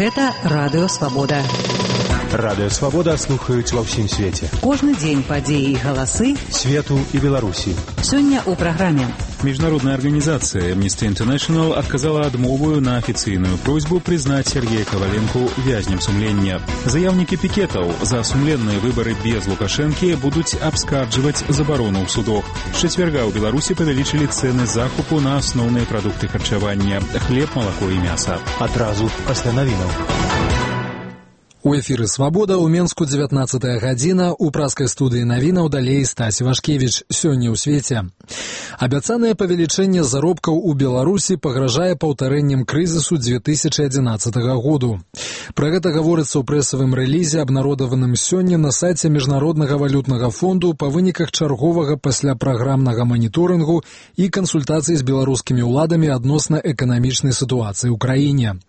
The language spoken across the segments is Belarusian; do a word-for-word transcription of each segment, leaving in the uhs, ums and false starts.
Гэта Радыё Свабода. Радыё Свабода слухаюць ва ўсім свеце. Кожны дзень падзеі і галасы свету і Беларусі. Сёння ў праграме. Международная организация Amnesty International отказала адмову на официальную просьбу признать Сергея Коваленко вязнем сумлення. Заявники пикетов за сумленные выборы без Лукашенки будут обскарживать заборону в судах. С четверга у Беларуси повеличили цены закупу на основные продукты харчевания – хлеб, молоко и мясо. Адразу пасля навінаў. У эфіры «Свабода» ў Менску дзевятнаццатая гадзіна, у праскай студыі навінаў далей Стась Вашкевіч. Сёння ў свеце. Абяцанае павелічэнне заробкаў у Беларусі пагражае паўтарэннем крызісу две тысячи одиннадцатого году. Пра гэта гаворыцца ў прэсавым рэлізе, абнародаваным сёння на сайце Міжнароднага валютнага фонду па выніках чарговага пасляпраграмнага маніторынгу і кансультацый з беларускімі ўладамі адносна эканамічнай сітуацыі ў краіне.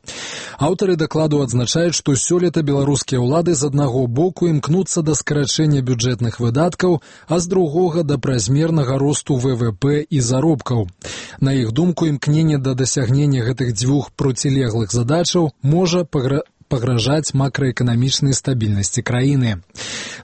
Аўтары дакладу адзначаюць, што сёлета беларускія ўлады з аднаго боку імкнуцца да скарачэння бюджэтных выдаткаў, а з другога да празмернага росту вэ вэ пэ і заробкаў. На іх думку, імкненне да дасягнення гэтых дзвюх процілеглых задачаў можа пагра... пагражаць макраэканамічнай стабільнасці краіны.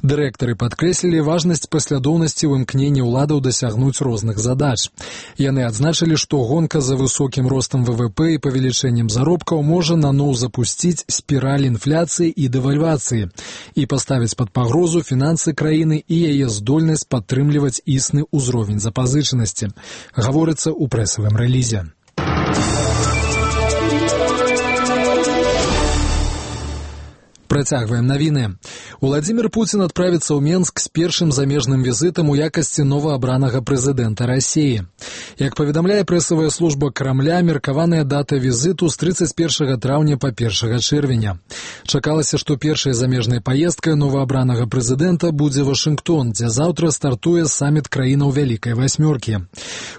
Дырэктары падкрэслілі важнасць паслядоўнасці ў імкненні ўладаў дасягнуць розных задач. Яны адзначылі, што гонка за высокім ростам вэ вэ пэ і павелічэннем заробкаў можа наноў запусціць спіраль інфляцыі і дэвальвацыі і паставіць пад пагрозу фінансы краіны і яе здольнасць падтрымліваць існы ўзровень запазычанасці. Гаворыцца ў прэсавым рэлізе. Працягваем навіны. Уладзімір Пуцін адправіцца ў Менск з першым замежным візітам у якасці новаабранага прэзідэнта Расіі. Як паведамляе прэсавая служба Крамля, меркаваная дата візіту з трыццаць першага траўня па першага чэрвеня. Чакалася, што першай замежнай паездкай новаабранага прэзідэнта будзе Вашынгтон, дзе заўтра стартуе саміт краінаў Вялікай Васьмёркі.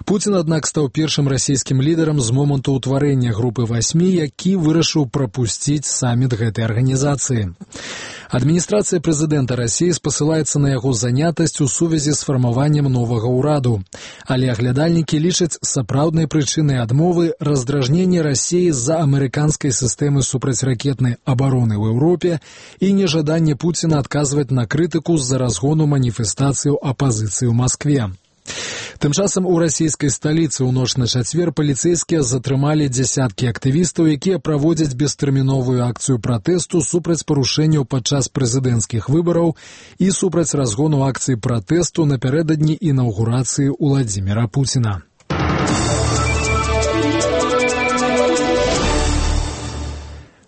Пуцін, аднак, стаў першым расійскім лідарам з моманту ўтварэння групы васьмі, які вырашыў прапусціць саміт гэтай арганізацыі. Адміністрацыя прэзідэнта Расіі спасылаецца на яго занятасць у сувязі з фармаваннем новага ўраду. Але аглядальнікі лічаць сапраўднай прычынай адмовы раздражненне Расіі з-за амерыканскай сістэмы супрацьракетнай абароны ў Еўропе і нежаданне Пуціна адказваць на крытыку з-за разгону маніфестацыяў апазіцыі ў Маскве. Тым часам у расійскай сталіцы ў ноч на чацвер паліцэйскія затрымалі дзясяткі актывістаў, якія праводзяць бестэрміновую акцыю пратэсту супраць парушэнняў падчас прэзідэнцкіх выбараў і супраць разгону акцыі пратэсту напярэдадні інаўгурацыі Уладзіміра Пуціна.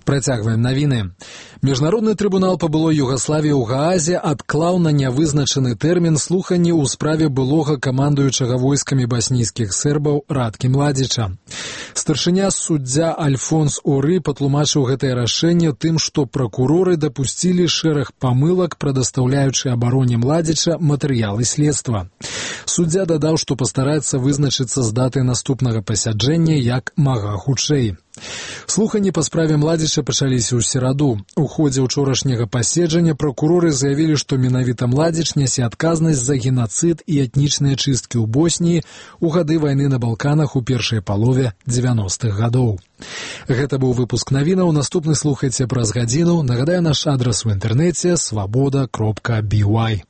Працягваем навіны. Міжнародны трыбунал па былой Югаславіі ў Гаазе адклаў на нявызначаны тэрмін слуханні ў справе былога камандуючага войскамі баснійскіх сербаў Радкі Младзіча. Старшыня суддзя Альфонс Оры патлумачыў гэтае рашэнне тым, што пракуроры дапусцілі шэраг памылак, прадастаўляючы абароне Младзіча матэрыялы следства. Суддзя дадаў, што пастараецца вызначыцца з датай наступнага пасяджэння як мага хутчэй. Слуханні па справе Младзіча пачаліся ў сераду. У ходзе ўчорашняга паседжання пракуроры заявілі, што менавіта Младзіч нясе адказнасць за генацыд і этнічныя чысткі ў Босніі ў гады вайны на Балканах у першай палове дзевяностых гадоў. Гэта быў выпуск навінаў. Наступны слухайце праз гадзіну. Нагадаю, наш адрас у інтэрнэце свабода кропка би уай.